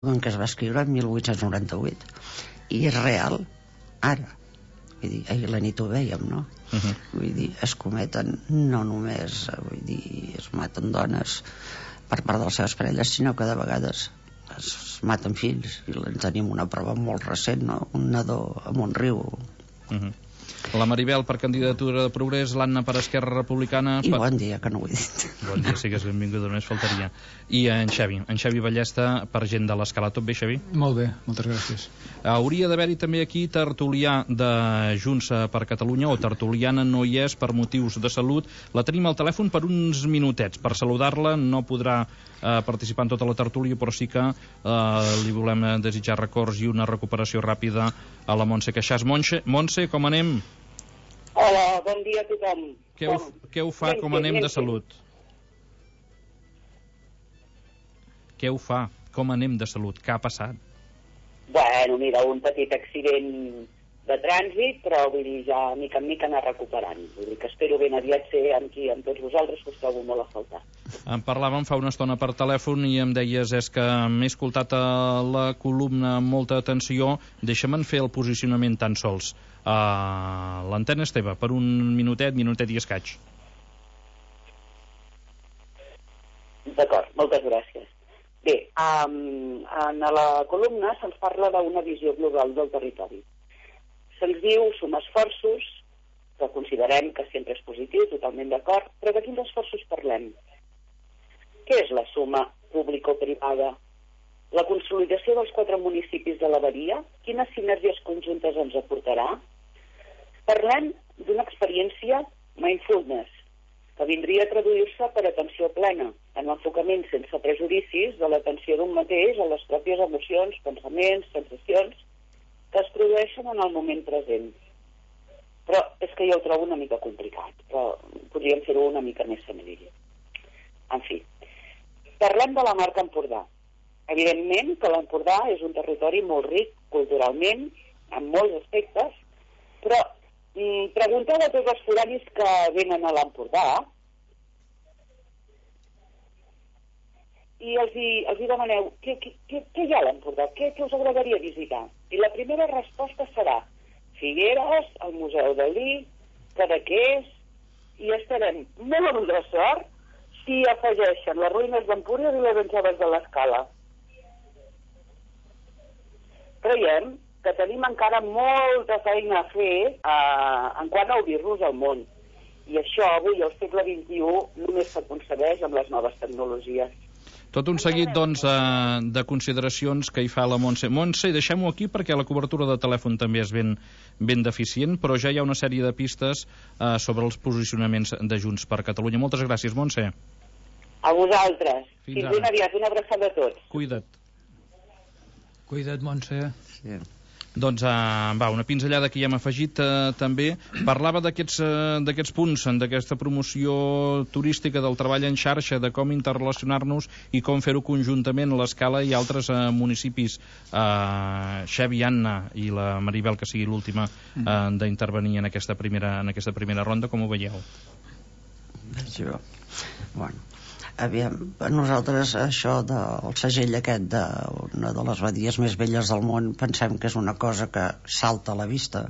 que es va escriure en 1898 i és real ara. Vull dir, ahir la nit ho vèiem, no? Vull dir, es cometen no només, vull dir, es maten dones per part de les seves parelles, sinó que de vegades es maten fills, i en tenim una prova molt recent, no? Un nadó a Montriu. La Maribel per candidatura de Progrés, l'Anna per Esquerra Republicana... I bon dia, que no ho he dit. Bon dia, sigues benvinguda, només faltaria. I en Xavi Ballesta per Gent de l'Escala. Tot bé, Xavi? Molt bé, moltes gràcies. Hauria d'haver-hi també aquí tertulià de Junts per Catalunya, o tertuliana, no hi és per motius de salut. La tenim al telèfon per uns minutets. Per saludar-la no podrà participar en tota la tertúlia, però sí que li volem desitjar records i una recuperació ràpida a la Montse Queixàs. Montse, com anem? Hola, bon dia a tothom. Què ho fa com anem de salut? Què ho fa com anem de salut? Què ha passat? Bueno, mira, un petit accident de trànsit, però vull dir, ja mica en mica anar recuperant. Vull dir que espero ben aviat ser amb tots vosaltres, que us trobo molt a faltar. En parlàvem fa una estona per telèfon i em deies és que m'he escoltat a la columna amb molta atenció, deixa'm fer el posicionament tan sols. L'antena és teva, per un minutet i escaig. D'acord, moltes gràcies. Bé, en la columna se'ns parla d'una visió global del territori. Se'ns diu sumar esforços, que considerem que sempre és positiu, totalment d'acord, però de quins esforços parlem? Què és la suma público-privada? La consolidació dels 4 municipis de la Badia, quines sinergies conjuntes ens aportarà? Parlem d'una experiència mindfulness, que vindria a traduir-se per atenció plena, en l'enfocament sense prejudicis de l'atenció d'un mateix a les pròpies emocions, pensaments, sensacions que es produeixen en el moment present. Però és que jo ho trobo una mica complicat, però podríem fer-ho una mica més senzill. En fi, parlem de la marca Empordà. Evidentment que l'Empordà és un territori molt ric culturalment, en molts aspectes, però pregunteu a tots els foranis que venen a l'Empordà i els demaneu què hi ha a l'Empordà, què us agradaria visitar? I la primera resposta serà Figueres, el Museu Dalí, Cadaqués, i estarem molt de sort si afegeixen les ruïnes d'Empúries i les anxoves de l'Escala. Creiem que tenim encara molta feina a fer en quant a obrir-nos al món. I això avui, al segle XXI, només s'aconsegueix amb les noves tecnologies. Tot un seguit, doncs, de consideracions que hi fa la Montse. Montse, deixem-ho aquí perquè la cobertura de telèfon també és ben deficient, però ja hi ha una sèrie de pistes sobre els posicionaments de Junts per Catalunya. Moltes gràcies, Montse. A vosaltres. Fins ben aviat. Una abraçada a tots. Cuida't. Cuida't, Montse. Sí. Doncs, una pinzellada que ja hem afegit també. Parlava d'aquests punts, d'aquesta promoció turística, del treball en xarxa, de com interrelacionar-nos i com fer-ho conjuntament a l'Escala i altres municipis. Xavi, Anna i la Maribel, que sigui l'última d'intervenir en aquesta primera ronda, com ho veieu? Bueno, aviam, nosaltres això del segell aquest d'una de les badies més velles del món pensem que és una cosa que salta a la vista.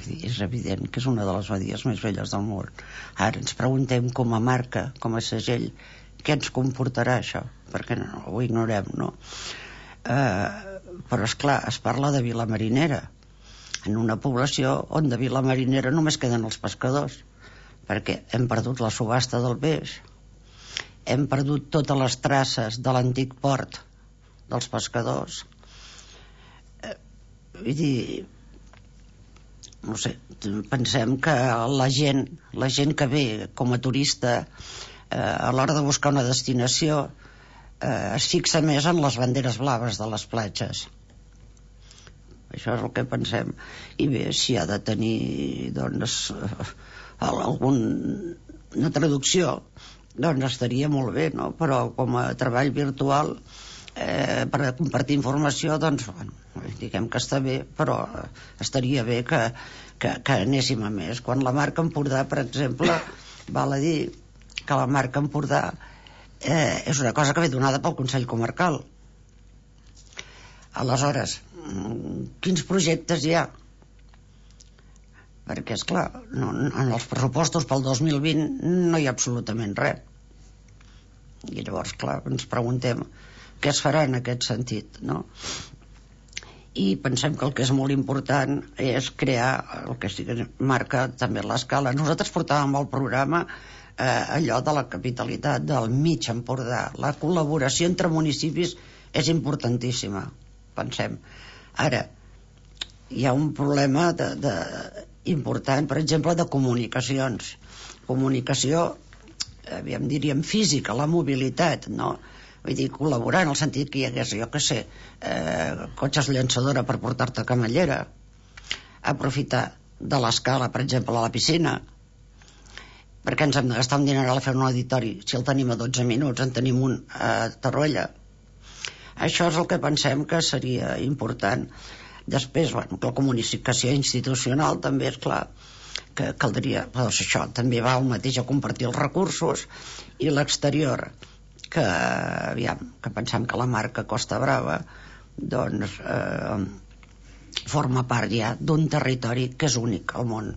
És evident que és una de les badies més velles del món. Ara ens preguntem com a marca, com a segell, què ens comportarà això? Perquè no, ho ignorem, no? Però esclar, es parla de Vila Marinera, en una població on de Vila Marinera només queden els pescadors, perquè hem perdut la subhasta del peix, hem perdut totes les traces de l'antic port dels pescadors. Vull dir, no sé, pensem que la gent que ve com a turista a l'hora de buscar una destinació es fixa més en les banderes blaves de les platges. Això és el que pensem. I bé, si ha de tenir doncs alguna traducció, doncs estaria molt bé, no? Però com a treball virtual per compartir informació, doncs bueno, diguem que està bé, però estaria bé que anéssim a més. Quan la marca Empordà, per exemple, val a dir que la marca Empordà és una cosa que ve donada pel Consell Comarcal. Aleshores, quins projectes hi ha? Perquè, esclar, en els pressupostos pel 2020 no hi ha absolutament res. I llavors, clar, ens preguntem què es farà en aquest sentit, no? I pensem que el que és molt important és crear el que sí que marca també l'escala. Nosaltres portàvem al programa allò de la capitalitat del mig Empordà. La col·laboració entre municipis és importantíssima, pensem. Ara, hi ha un problema important, per exemple, de comunicacions. Comunicació, diríem, física, la mobilitat, no? Vull dir, col·laborar en el sentit que hi hagués, jo què sé, cotxes llançadora per portar-te a Camallera, aprofitar de l'escala, per exemple, a la piscina. Perquè ens hem de gastar un dineral a fer un auditori si el tenim a 12 minuts, en tenim un a Torroella. Això és el que pensem que seria important. Després, bueno, la comunicació institucional també és clar que caldria, doncs això també va el mateix a compartir els recursos, i l'exterior, que pensem que la marca Costa Brava doncs forma part ja d'un territori que és únic al món.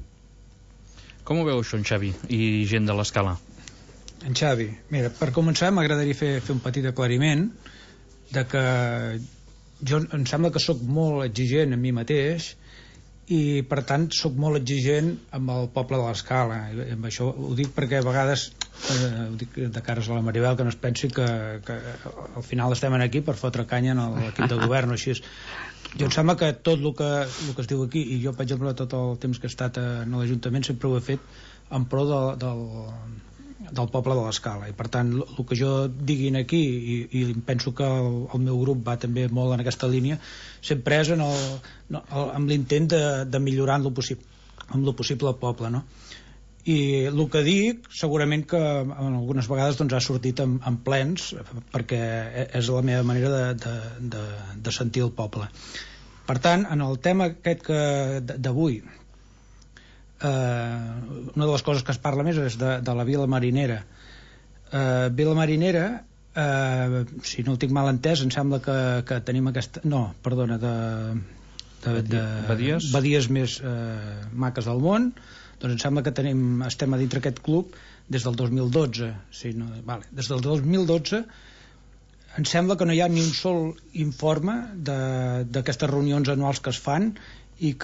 Com ho veu això, en Xavi i gent de l'Escala? En Xavi, mira, per començar m'agradaria fer un petit aclariment de que jo em sembla que sóc molt exigent amb mi mateix i per tant sóc molt exigent amb el poble de l'Escala. I amb això ho dic perquè a vegades ho dic de cares a la Maribel, que no es pensi que al final estem aquí per fotre canya en l'equip de govern o així. Jo em sembla que tot el que es diu aquí, i jo per exemple tot el temps que he estat a l'Ajuntament sempre ho he fet en pro del poble de l'Escala, i per tant el que jo diguin aquí, i penso que el meu grup va també molt en aquesta línia, sempre és amb l'intent de millorar amb lo possible el poble, no? I el que dic segurament que algunes vegades doncs, ha sortit en plens, perquè és la meva manera de sentir el poble. Per tant, en el tema aquest d'avui, una de les coses que es parla més és de la Vila Marinera. Vila Marinera, si no ho tinc mal entès, em sembla que tenim aquesta... No, perdona, badies més maques del món. Doncs em sembla que estem a dintre aquest club des del 2012. Sí, no, vale. Des del 2012 em sembla que no hi ha ni un sol informe d'aquestes reunions anuals que es fan, i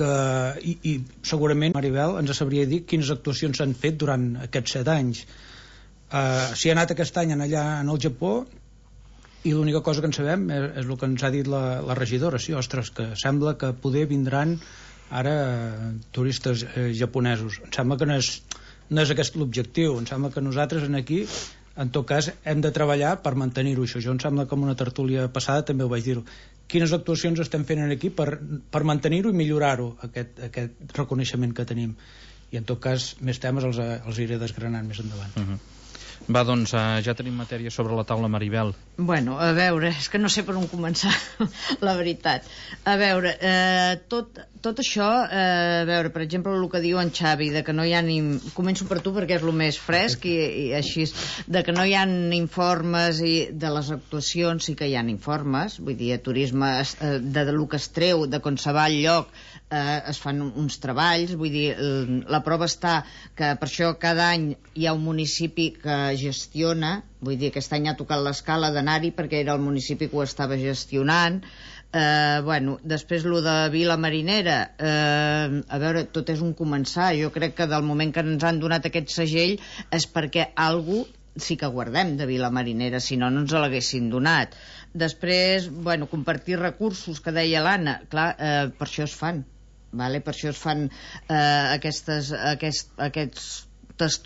segurament Maribel ens sabria dir quines actuacions s'han fet durant aquests 7 anys. Si ha anat aquest any allà en el Japó, i l'única cosa que en sabem és el que ens ha dit la regidora. Sí, ostres, que sembla que poder vindran ara turistes japonesos. Em sembla que no és aquest l'objectiu. Em sembla que nosaltres aquí, en tot cas, hem de treballar per mantenir-ho. Això em sembla que en una tertúlia passada també ho vaig dir. Quines actuacions estem fent aquí per mantenir-ho i millorar-ho, aquest reconeixement que tenim. I en tot cas, més temes els iré desgranant més endavant. Va, doncs, ja tenim matèria sobre la taula, Maribel. Bueno, a veure, és que no sé per on començar, la veritat. A veure, tot això, a veure, per exemple, el que diu en Xavi, de que no hi ha ni... Començo per tu perquè és el més fresc i així, de que no hi ha informes de les actuacions, sí que hi ha informes, vull dir, a turisme, de lo que es treu, de quan se va al lloc, es fan uns treballs, vull dir, la prova està que per això cada any hi ha un municipi que gestiona, vull dir, aquest any ha tocat l'escala d'anar-hi perquè era el municipi que ho estava gestionant. Bueno, després lo de Vila Marinera, a veure, tot és un començar. Jo crec que del moment que ens han donat aquest segell és perquè algú sí que guardem de Vila Marinera, si no, no ens l'haguessin donat. Després, bueno, compartir recursos, que deia l'Anna, clar, per això es fan, vale? Per això es fan aquestes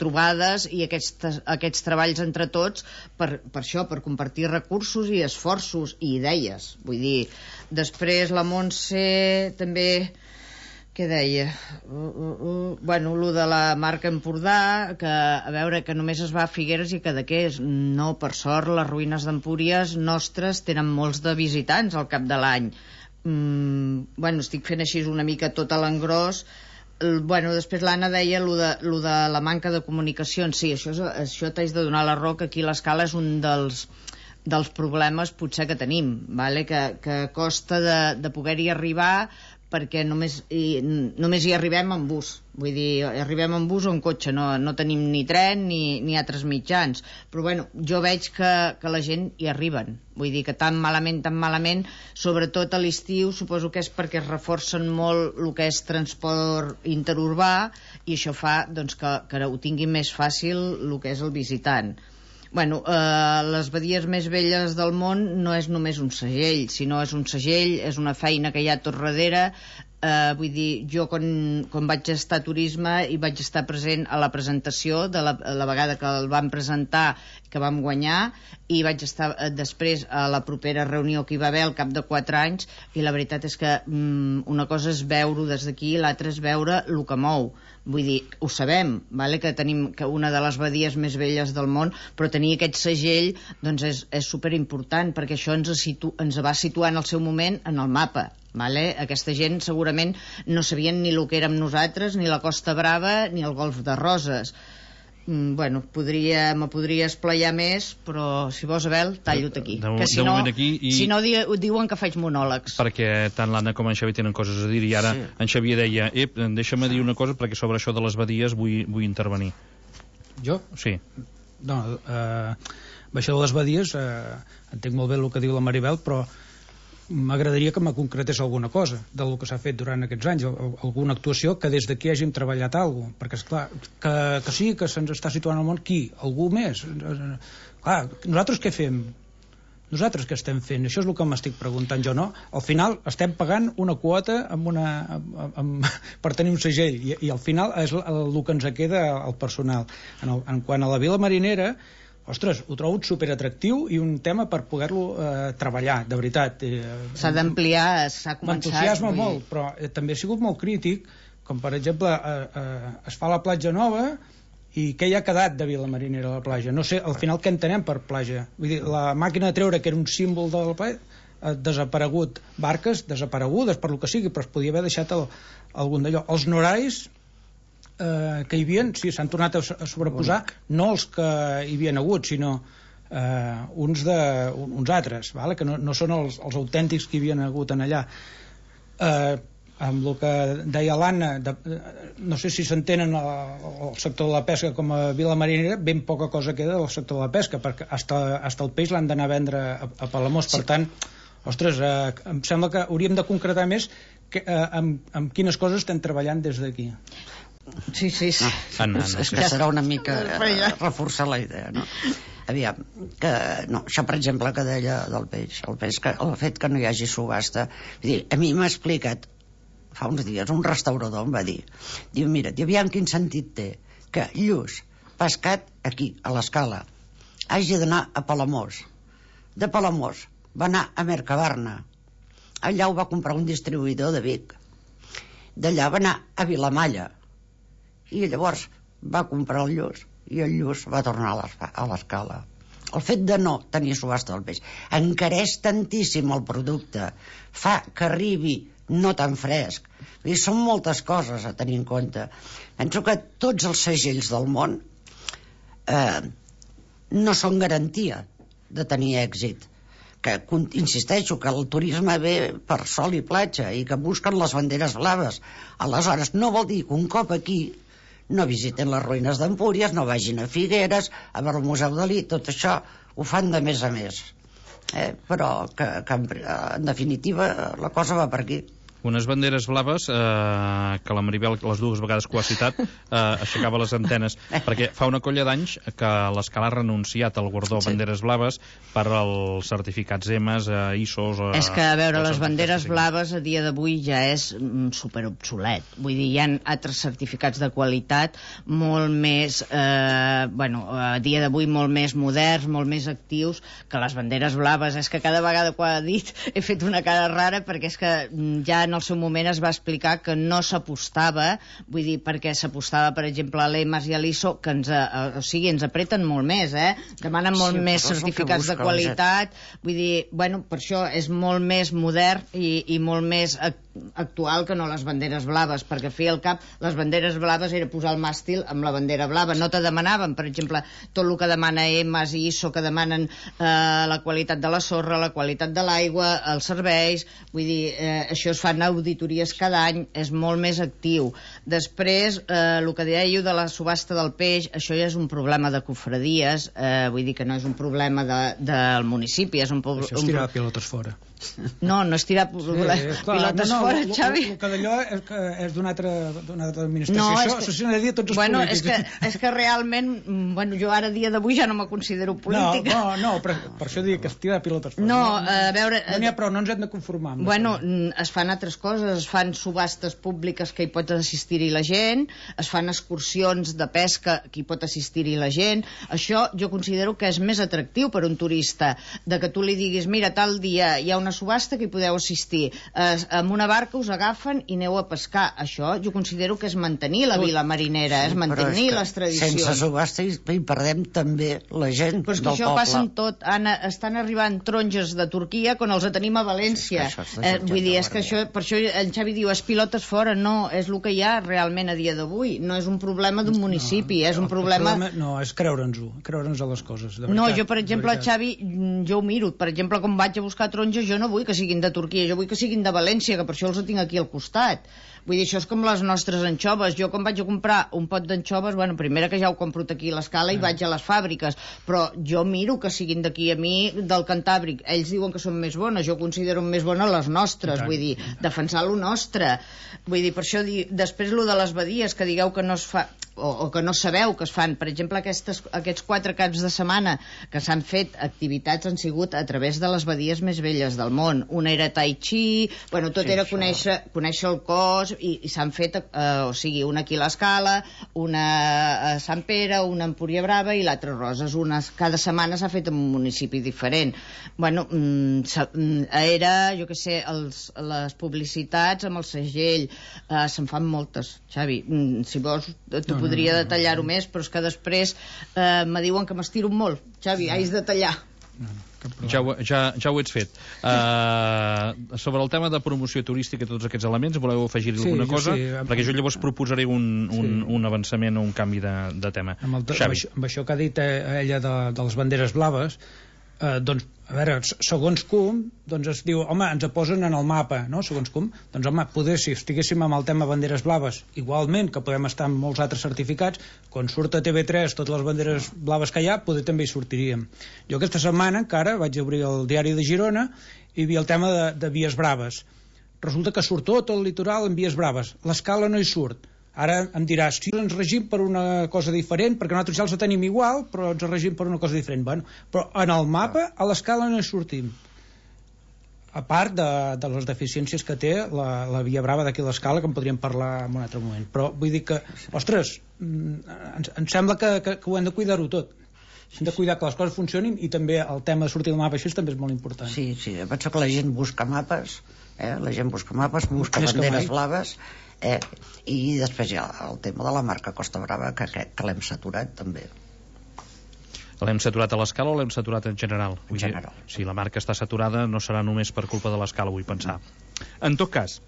trobades i aquests treballs entre tots, per això, per compartir recursos i esforços i idees. Vull dir, després la Montse també, què deia? Bueno, lo de la marca Empordà, que a veure, que només es va a Figueres i a Cadaqués. No, per sort, les ruïnes d'Empúries nostres tenen molts de visitants al cap de l'any. Bueno, estic fent així una mica tot a l'engròs. Bueno, després l'Anna deia lo de la manca de comunicacions. Sí, això t'haig de donar la raó, que aquí l'Escala és un dels dels problemes potser que tenim, vale? Que costa de poder-hi arribar, perquè només hi arribem en bus. Vull dir, arribem en bus o en cotxe, no tenim ni tren ni altres mitjans. Però bueno, jo veig que la gent hi arriben. Vull dir que tan malament, sobretot a l'estiu, suposo que és perquè es reforcen molt el que és transport interurbà, i això fa doncs, que ho tingui més fàcil el que és el visitant. Bueno, les badies més velles del món no és només un segell, sinó és un segell, és una feina que hi ha tot darrere. Vull dir, jo quan vaig estar a turisme i vaig estar present a la presentació de la vegada que el vam presentar, que vam guanyar, i vaig estar després a la propera reunió que hi va haver al cap de 4 anys, i la veritat és que una cosa és veure-ho des d'aquí, l'altra és veure el que mou. Vull dir, ho sabem, vale? Que tenim una de les badies més velles del món, però tenir aquest segell doncs és superimportant, perquè això ens va situar en el seu moment en el mapa. Vale? Aquesta gent segurament no sabien ni el que érem nosaltres, ni la Costa Brava, ni el Golf de Roses. Bueno, me podria esplaiar més, però si vols, Abel, tallo-te aquí. Que si no diuen que faig monòlegs. Perquè tant l'Anna com en Xavi tenen coses a dir, i ara en Xavi deia, deixa'm dir una cosa, perquè sobre això de les badies vull intervenir. Jo? Sí. No, això de les badies, entenc molt bé el que diu la Maribel, però m'agradaria que me concretés alguna cosa del que s'ha fet durant aquests anys, alguna actuació que des d'aquí hàgim treballat alguna cosa, perquè esclar, que sí, que se'ns està situant al món, qui? Algú més? Clar, nosaltres què fem? Nosaltres què estem fent? Això és el que m'estic preguntant jo, no? Al final estem pagant una quota per tenir un segell, i al final és el que ens queda al personal. En quant a la Vila Marinera, ostres, ho trobo superatractiu i un tema per poder-lo treballar, de veritat. S'ha d'ampliar, s'ha començat. M'entusiasma molt, però també he sigut molt crític, com per exemple es fa la platja nova i què hi ha quedat de Vila Marinera a la platja? No sé, al final què entenem per platja? Vull dir, la màquina de treure, que era un símbol de la platja, ha desaparegut, barques desaparegudes per lo que sigui, però es podia haver deixat algun d'allò. Els noraris que hi havia, sí, s'han tornat a sobreposar, no els que hi havien hagut, sinó uns altres, vale? Que no són els autèntics que hi havien hagut en allà. Amb el que deia l'Anna, no sé si s'entenen el sector de la pesca com a Vila Marinera, ben poca cosa queda del sector de la pesca, perquè hasta el peix l'han d'anar a vendre a Palamós. Per tant, ostres, em sembla que hauríem de concretar més amb quines coses estem treballant des d'aquí. Sí. És que serà una mica reforçar la idea, no? Aviam, això per exemple que deia del peix, el fet que no hi hagi subhasta, a mi m'ha explicat fa uns dies un restaurador, em va dir, mira, aviam quin sentit té que lluç pescat aquí, a l'Escala, hagi d'anar a Palamós, de Palamós va anar a Mercabarna, allà ho va comprar un distribuïdor de Vic, d'allà va anar a Vilamalla, i llavors va comprar el lluç i el lluç va tornar a l'Escala. El fet de no tenir subhasta del peix encareix tantíssim el producte, fa que arribi no tan fresc. Són moltes coses a tenir en compte. Penso que tots els segells del món no són garantia de tenir èxit, que insisteixo que el turisme ve per sol i platja i que busquen les banderes blaves. Aleshores no vol dir que un cop aquí no visiten les ruïnes d'Empúries, no vagin a Figueres, a veure el Museu Dalí, tot això ho fan de més a més, però que en definitiva la cosa va per aquí. Unes banderes blaves que la Maribel, les dues vegades que ho ha citat, aixecava les antenes, perquè fa una colla d'anys que l'Escala ha renunciat al guardó banderes blaves per als certificats EMAS, ISOs... És que, a veure, les banderes blaves a dia d'avui ja és superobsolet. Vull dir, hi ha altres certificats de qualitat molt més, a dia d'avui molt més moderns, molt més actius que les banderes blaves. És que cada vegada que ho ha dit he fet una cara rara, perquè és que ja en el seu moment es va explicar que no s'apostava, vull dir, perquè s'apostava, per exemple, a l'EMAS i a l'ISO, que ens apreten molt més, demanen molt més certificats de qualitat, vull dir, per això és molt més modern i molt més actual que no les banderes blaves, perquè feia el cap, les banderes blaves era posar el màstil amb la bandera blava, no te demanaven, per exemple, tot el que demana EMAS i ISO, que demanen la qualitat de la sorra, la qualitat de l'aigua, els serveis, vull dir, això es fan auditories cada any, és molt més actiu. Després, el que dèieu de la subhasta del peix, això ja és un problema de cofradies, vull dir que no és un problema del municipi, és un problema... Això és tirar pilotes fora. No, no és tirar pilotes fora, Xavi. El que d'allò és d'una altra administració. No, això s'ho n'ha de dir a tots els polítics. És que realment, jo ara, dia d'avui, ja no me considero política. No, per això dic que es tira pilotes fora. No, a veure... No n'hi ha prou, no ens hem de conformar. Es fan altres coses, es fan subhastes públiques que hi pot assistir-hi la gent, es fan excursions de pesca que hi pot assistir-hi la gent. Això jo considero que és més atractiu per un turista, de que tu li diguis, mira, tal dia hi ha una subhasta que hi podeu assistir, amb una barca us agafen i aneu a pescar. Això jo considero que és mantenir la vila marinera, és mantenir les tradicions. Sense subhasta hi perdem també la gent del poble. Però és que això passa en tot, Anna, estan arribant taronges de Turquia quan els tenim a València. Vull dir, és que això, per això el Xavi diu, és pilotes fora, no, és el que hi ha realment a dia d'avui, no és un problema d'un municipi, és un problema... No, és creure'ns-ho, creure'ns a les coses, de veritat. No, jo, per exemple, Xavi, jo ho miro, per exemple, quan vaig a buscar taronges, jo no vull que siguin de Turquia, jo vull que siguin de València, que per això els tinc aquí al costat. Vull dir, això és com les nostres anxoves. Jo quan vaig a comprar un pot d'anxoves, primera que ja ho compro aquí a l'Escala i vaig a les fàbriques, però jo miro que siguin d'aquí, a mi del Cantàbric. Ells diuen que són més bones, jo considero més bones les nostres, vull dir, defensar lo nostre. Vull dir, per això, després lo de les badies, que digueu que no es fa, o que no sabeu que es fan, per exemple, aquests 4 caps de setmana que s'han fet, activitats han sigut a través de les badies més velles del món. Una era Tai Chi, tot era conèixer el cos, i s'han fet, una aquí a l'Escala, una a Sant Pere, una a Empúria Brava i l'altra a Roses. Cada setmana s'ha fet en un municipi diferent. Era, jo què sé, les publicitats amb el segell, se'n fan moltes, Xavi. Si vols, t'ho podria detallar-ho més, però és que després me diuen que m'estiro molt. Xavi, haig de tallar. Ja ho ets fet. Sobre el tema de promoció turística i tots aquests elements, voleu afegir-hi alguna cosa? Perquè jo llavors proposaré un avançament o un canvi de tema. Amb això que ha dit ella de les banderes blaves, doncs, a veure, segons com, doncs es diu, home, ens posen en el mapa, no?, segons com. Doncs, home, poder, si estiguéssim amb el tema banderes blaves, igualment que podem estar amb molts altres certificats, quan surt a TV3 totes les banderes blaves que hi ha, poder també hi sortiríem. Jo aquesta setmana encara vaig obrir el diari de Girona i hi havia el tema de vies braves. Resulta que surt tot el litoral en vies braves. L'Escala no hi surt. Ara em diràs, si ens regim per una cosa diferent, perquè nosaltres ja els tenim igual, però ens regim per una cosa diferent. Però en el mapa, a l'Escala no hi sortim. A part de les deficiències que té la Via Brava d'aquí a l'Escala, que en podríem parlar en un altre moment. Però vull dir que, ostres, em sembla que ho hem de cuidar-ho tot. Hem de cuidar que les coses funcionin, i també el tema de sortir del mapa, això també és molt important. Sí, penso que la gent busca mapes, busca banderes blaves, i després hi ha el tema de la marca Costa Brava, que crec que l'hem saturat també. L'hem saturat a l'Escala o l'hem saturat en general? En general. Si la marca està saturada no serà només per culpa de l'Escala, vull pensar. En tot cas,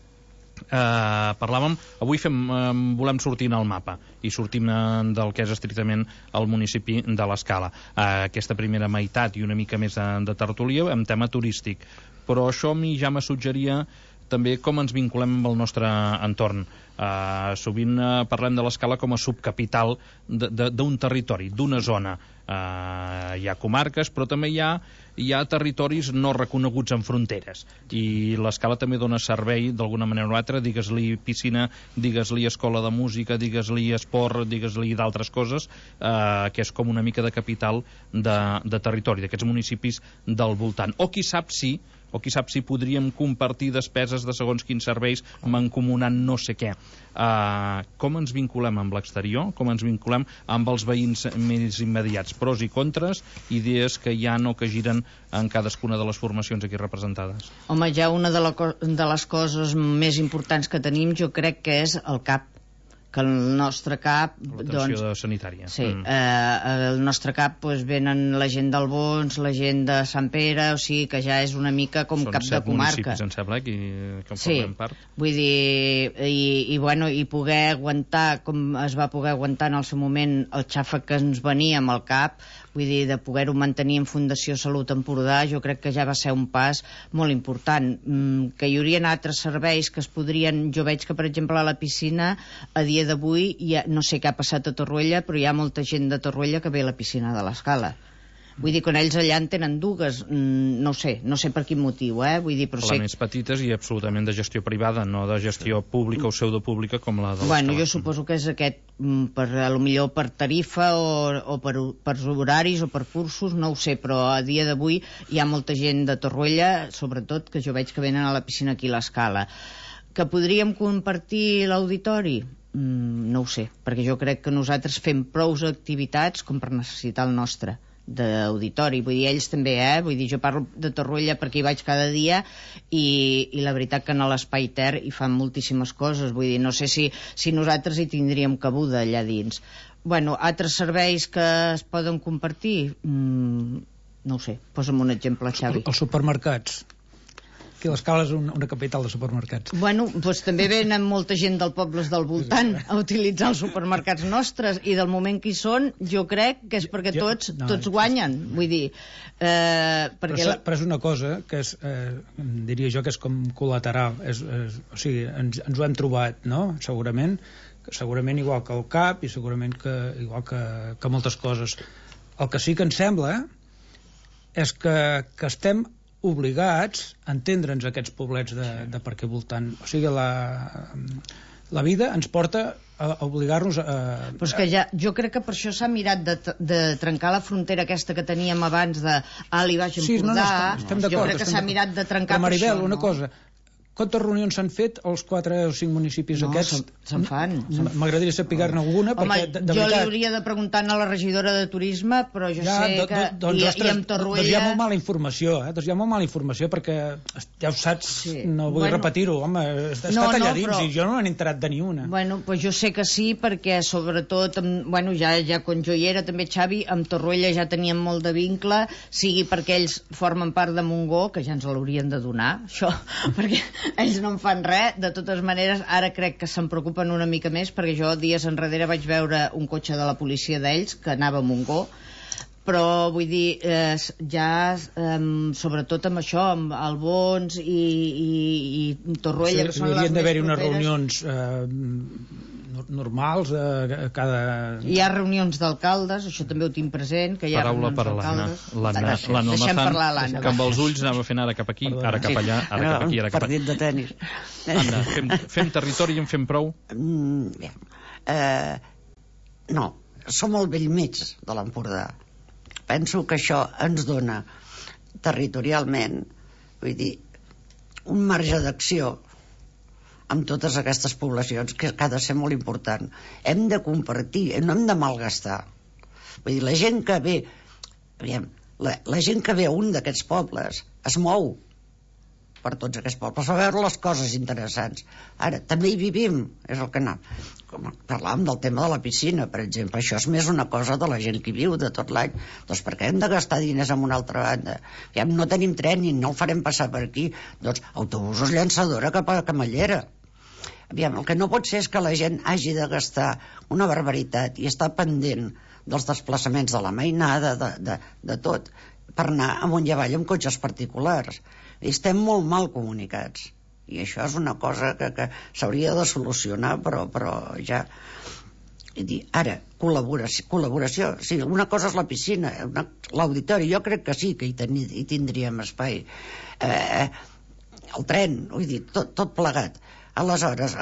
parlàvem, avui volem sortir en el mapa i sortim del que és estrictament el municipi de l'Escala. Aquesta primera meitat i una mica més de tertúlia amb tema turístic, però això a mi ja me suggeria també com ens vinculem amb el nostre entorn. Sovint parlem de l'Escala com a subcapital d'un territori, d'una zona. Hi ha comarques, però també hi ha territoris no reconeguts en fronteres, i l'Escala també dona servei d'alguna manera o altra, digues-li piscina, digues-li escola de música, digues-li esport, digues-li d'altres coses, que és com una mica de capital de territori, d'aquests municipis del voltant. O qui sap si podríem compartir despeses de segons quins serveis mancomunant no sé què. Com ens vinculem amb l'exterior, com ens vinculem amb els veïns més immediats, pros i contres, idees que hi ha o que giren en cadascuna de les formacions aquí representades. Home, ja una de les coses més importants que tenim jo crec que és el CAP, que el nostre CAP... L'atenció sanitària. Sí, el nostre CAP venen la gent d'Albons, la gent de Sant Pere, o sigui que ja és una mica com cap de comarca. Són 7 municipis, em sembla, que en formem part. Vull dir, i poder aguantar, com es va poder aguantar en el seu moment el xàfec que ens venia amb el CAP, vull dir, de poder-ho mantenir en Fundació Salut Empordà, jo crec que ja va ser un pas molt important. Que hi haurien altres serveis que es podrien... Jo veig que, per exemple, a la piscina, a dia d'avui, no sé què ha passat a Torroella, però hi ha molta gent de Torroella que ve a la piscina de l'Escala. Vull dir, quan ells allà en tenen dues, no sé per quin motiu, vull dir, però les més petites i absolutament de gestió privada, no de gestió pública o pseudopública com la de l'Escala. Bueno, jo suposo que és aquest, potser per tarifa o per horaris o per cursos, no ho sé, però a dia d'avui hi ha molta gent de Torroella, sobretot, que jo veig que venen a la piscina aquí a l'Escala. Que podríem compartir l'auditori? No ho sé, perquè jo crec que nosaltres fem prous activitats com per necessitar el nostre d'auditori, vull dir, ells també, vull dir, jo parlo de Torroella perquè hi vaig cada dia i la veritat que en l'Espai Ter hi fan moltíssimes coses, vull dir, no sé si nosaltres hi tindríem cabuda allà dins. Bueno, altres serveis que es poden compartir? No ho sé, posa'm un exemple, Xavi. Els supermercats. Aquí l'Escala és una capital de supermercats. Bueno, doncs també venen molta gent dels pobles del voltant a utilitzar els supermercats nostres i del moment que hi són, jo crec que és perquè tots guanyen. Vull dir... Però és una cosa que és, diria jo, que és com col·lateral. O sigui, ens ho hem trobat, no? Segurament igual que el CAP i segurament igual que moltes coses. El que sí que ens sembla és que estem obligats a entendre'ns aquests poblets de per què voltant. O sigui, la vida ens porta a obligar-nos a... Però és que jo crec que per això s'ha mirat de trencar la frontera aquesta que teníem abans de Ali Baix Empordà. Estem d'acord. Jo crec que s'ha mirat de trencar per això. Però, Maribel, una cosa... Quantes reunions s'han fet als 4 o 5 municipis aquests? Se'n fan. M'agradaria saber-ne alguna. Home, jo li hauria de preguntar a la regidora de Turisme, però jo sé que... I amb Torroella... Doncs hi ha molt mala informació, perquè ja ho saps, no vull repetir-ho, home, està allà dins i jo no n'he enterat de ni una. Bueno, doncs jo sé que sí, perquè sobretot, ja quan jo hi era també, Xavi, amb Torroella ja teníem molt de vincle, sigui perquè ells formen part de Montgó, que ja ens l'haurien de donar, això, perquè... ells no en fan res, de totes maneres ara crec que se'n preocupen una mica més perquè jo dies enrere vaig veure un cotxe de la policia d'ells que anava a Montgó, però vull dir, ja sobretot amb això, amb Albons i Torroella, que són les més properes. Hauria d'haver-hi unes reunions normals cada... Hi ha reunions d'alcaldes, això també ho tinc present, que hi ha reunions d'alcaldes. Deixem parlar l'Anna. Que amb els ulls anava fent ara cap aquí, ara cap allà, ara cap aquí, ara cap allà. Partit de tenis. Anna, fem territori i en fem prou? No, som al vell mig de l'Empordà. Penso que això ens dona territorialment, vull dir, un marge d'acció amb totes aquestes poblacions que ha de ser molt important. Hem de compartir, no hem de malgastar. Vull dir, la gent que ve la gent que ve a un d'aquests pobles es mou per tots aquests pobles a veure les coses interessants. Ara, també hi vivim, és el que anem. Parlàvem del tema de la piscina, per exemple. Això és més una cosa de la gent que hi viu de tot l'any. Doncs per què hem de gastar diners en una altra banda? No tenim tren i no el farem passar per aquí. Doncs autobusos llançadora cap a Camallera. El que no pot ser és que la gent hagi de gastar una barbaritat i estar pendent dels desplaçaments de la mainada, de tot, per anar amunt i avall amb cotxes particulars. Estem molt mal comunicats i això és una cosa que s'hauria de solucionar, però ja... Ara, col·laboració, sí, una cosa és la piscina, l'auditori, jo crec que sí que hi tindríem espai, el tren, vull dir, tot plegat. Aleshores,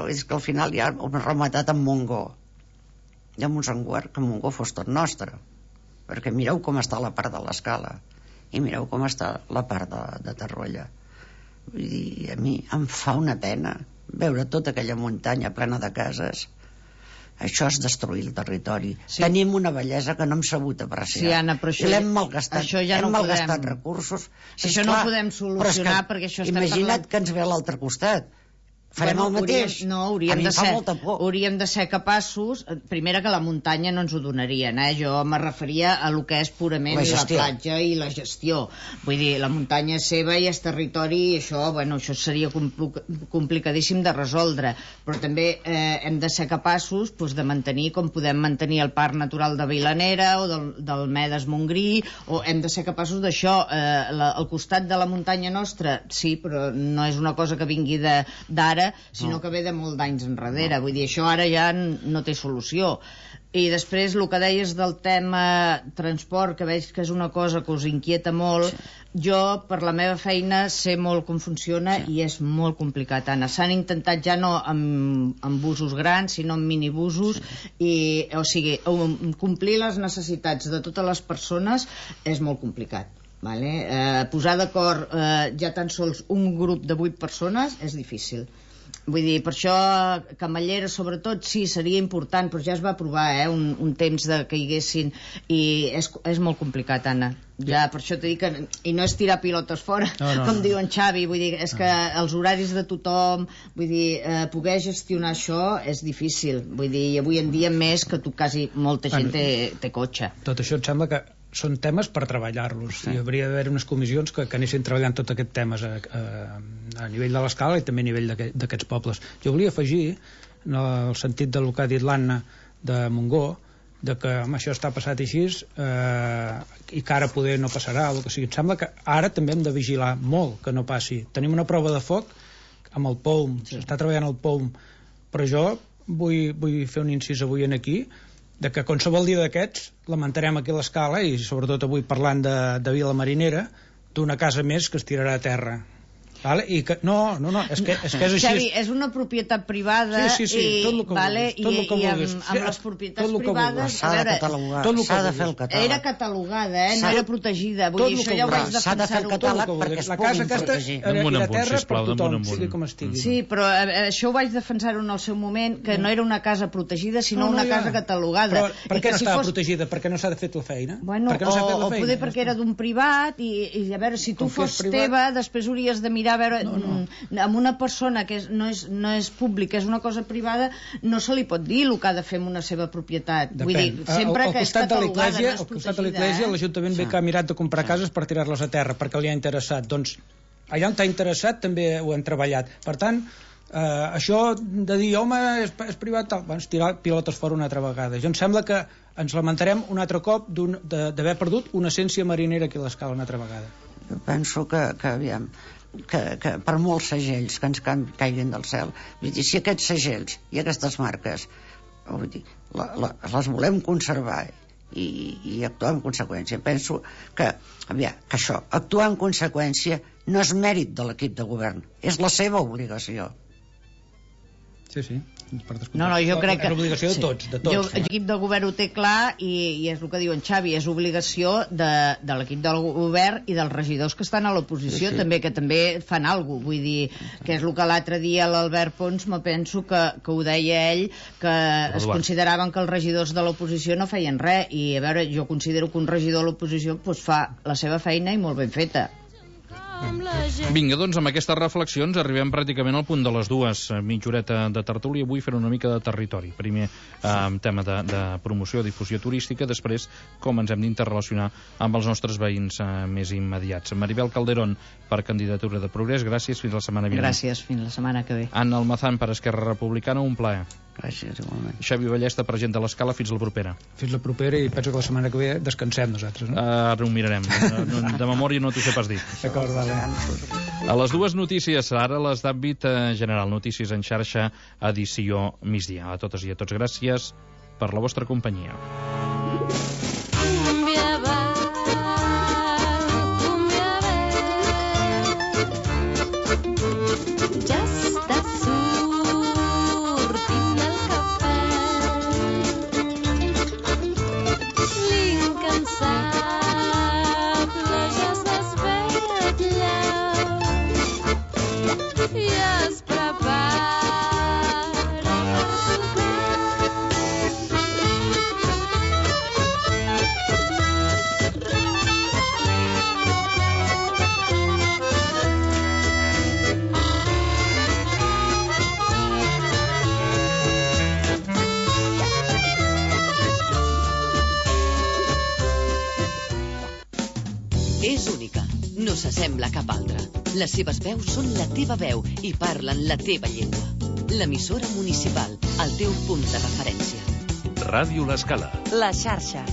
és que al final ja hem rematat amb Montgó, i amb un sanguar que Montgó fos tot nostre, perquè mireu com està la part de l'Escala i mireu com està la part de Torroella. Vull dir, a mi em fa una pena veure tota aquella muntanya plena de cases. Això és destruir el territori. Sí. Tenim una bellesa que no hem sabut apreciar. Sí, Anna, però això... I l'hem malgastat. Això ja no hem malgastat recursos. Això no ho podem solucionar perquè això estem imagina't que ens ve a l'altre costat. farem el mateix. Hauríem a mi de em fa ser, molta por. hauríem de ser capaços, primera que la muntanya no ens ho donarien, jo me referia a lo que és purament la platja i la gestió. Vull dir, la muntanya és seva i és territori, i això seria complicadíssim de resoldre, però també hem de ser capaços de mantenir com podem mantenir el Parc Natural de Vilanera o del Medes Montgrí, o hem de ser capaços d'això. Al costat de la muntanya nostra, sí, però no és una cosa que vingui d'ara, sinó que ve de molt d'anys enrere. Vull dir, això ara ja no té solució. I després, el que deies del tema transport, que veig que és una cosa que us inquieta molt, jo, per la meva feina, sé molt com funciona i és molt complicat, Anna. S'han intentat ja no amb busos grans, sinó amb minibusos, i, o sigui, complir les necessitats de totes les persones és molt complicat. Posar d'acord ja tan sols un grup de 8 persones és difícil. Vull dir, per això Camallera sobretot sí, seria important, però ja es va provar un temps que hi haguessin, i és molt complicat, Anna. Ja, per això t'he dit que... I no és tirar pilotes fora, com diu en Xavi, vull dir, és que els horaris de tothom, vull dir, poder gestionar això és difícil, vull dir, i avui en dia més que quasi molta gent té cotxe. Tot això em sembla que són temes per treballar-los. Hi hauria d'haver unes comissions que anessin treballant tots aquests temes a nivell de l'escala i també a nivell d'aquests pobles. Jo volia afegir, en el sentit del que ha dit l'Anna de Montgó, de que això està passat així i que ara poder no passarà, o que sigui. Em sembla que ara també hem de vigilar molt que no passi. Tenim una prova de foc amb el POUM, s'està treballant el POUM, però jo vull fer un incís avui aquí, de que qualsevol dia d'aquests lamentarem aquí l'escala, i sobretot avui parlant de Vila Marinera, d'una casa més que es tirarà a terra. I que, no, és que és així. Xavi, és una propietat privada, sí, tot el que vulguis, i amb les propietats privades s'ha de catalogar, s'ha de fer el catàleg. Era catalogada, no era protegida, vull dir, això ja ho vaig defensar. S'ha de fer el catàleg perquè es puguin protegir. La terra per tothom, sigui com estigui. Sí, però això ho vaig defensar-ho en el seu moment, que no era una casa protegida, sinó una casa catalogada. Però per què no estava protegida? Perquè no s'ha de fer la feina? O poder perquè era d'un privat, i a veure, si tu fos teva, després hauries de mirar a veure, amb una persona que no és pública, és una cosa privada, no se li pot dir el que ha de fer amb una seva propietat. Vull dir, sempre que és catalogada, no és protegida. Al costat de l'Església, l'Ajuntament ve que ha mirat de comprar cases per tirar-les a terra, perquè li ha interessat. Doncs allà on t'ha interessat també ho hem treballat. Per tant, això de dir, home, és privat, doncs tirar pilotes fora una altra vegada. Jo em sembla que ens lamentarem un altre cop d'haver perdut una essència marinera aquí a l'escala una altra vegada. Jo penso que aviam, que per molts segells que ens caiguin del cel, vull dir, si aquests segells i aquestes marques, vull dir, les volem conservar i actuar en conseqüència, penso que això, actuar en conseqüència no és mèrit de l'equip de govern, és la seva obligació. Sí. Jo crec que és obligació de tots. L'equip de govern ho té clar, i és el que diu en Xavi, és obligació de l'equip del govern i dels regidors que estan a l'oposició, també, que també fan alguna cosa. Vull dir, que és el que l'altre dia l'Albert Pons, me penso que ho deia ell, que es consideraven que els regidors de l'oposició no feien res, i a veure, jo considero que un regidor de l'oposició fa la seva feina i molt ben feta. Vinga, doncs amb aquestes reflexions arribem pràcticament al punt de les 2, mitja horeta de tertúlia. Avui fer una mica de territori. Primer tema de promoció, difusió turística, després com ens hem d'interrelacionar amb els nostres veïns més immediats. Maribel Calderón, per candidatura de Progrés, gràcies, fins la setmana vinent. Gràcies, fins la setmana que ve. Anna Almazán, per Esquerra Republicana, un plaer. Gràcies, igualment. Xavi Ballesta, president de l'Escala, fins la propera. Fins la propera, i penso que la setmana que ve descansem nosaltres, no? Ara ho mirarem. De memòria no t'ho sé pas dir. D'acord, vale. A les 2 notícies, ara les d'àmbit general, notícies en xarxa, edició migdia. A totes i a tots, gràcies per la vostra companyia. s'assembla a cap altra. Les seves veus són la teva veu i parlen la teva llengua. L'emissora municipal, el teu punt de referència. Ràdio L'Escala. La xarxa.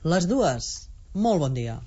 Les dues. Molt bon dia.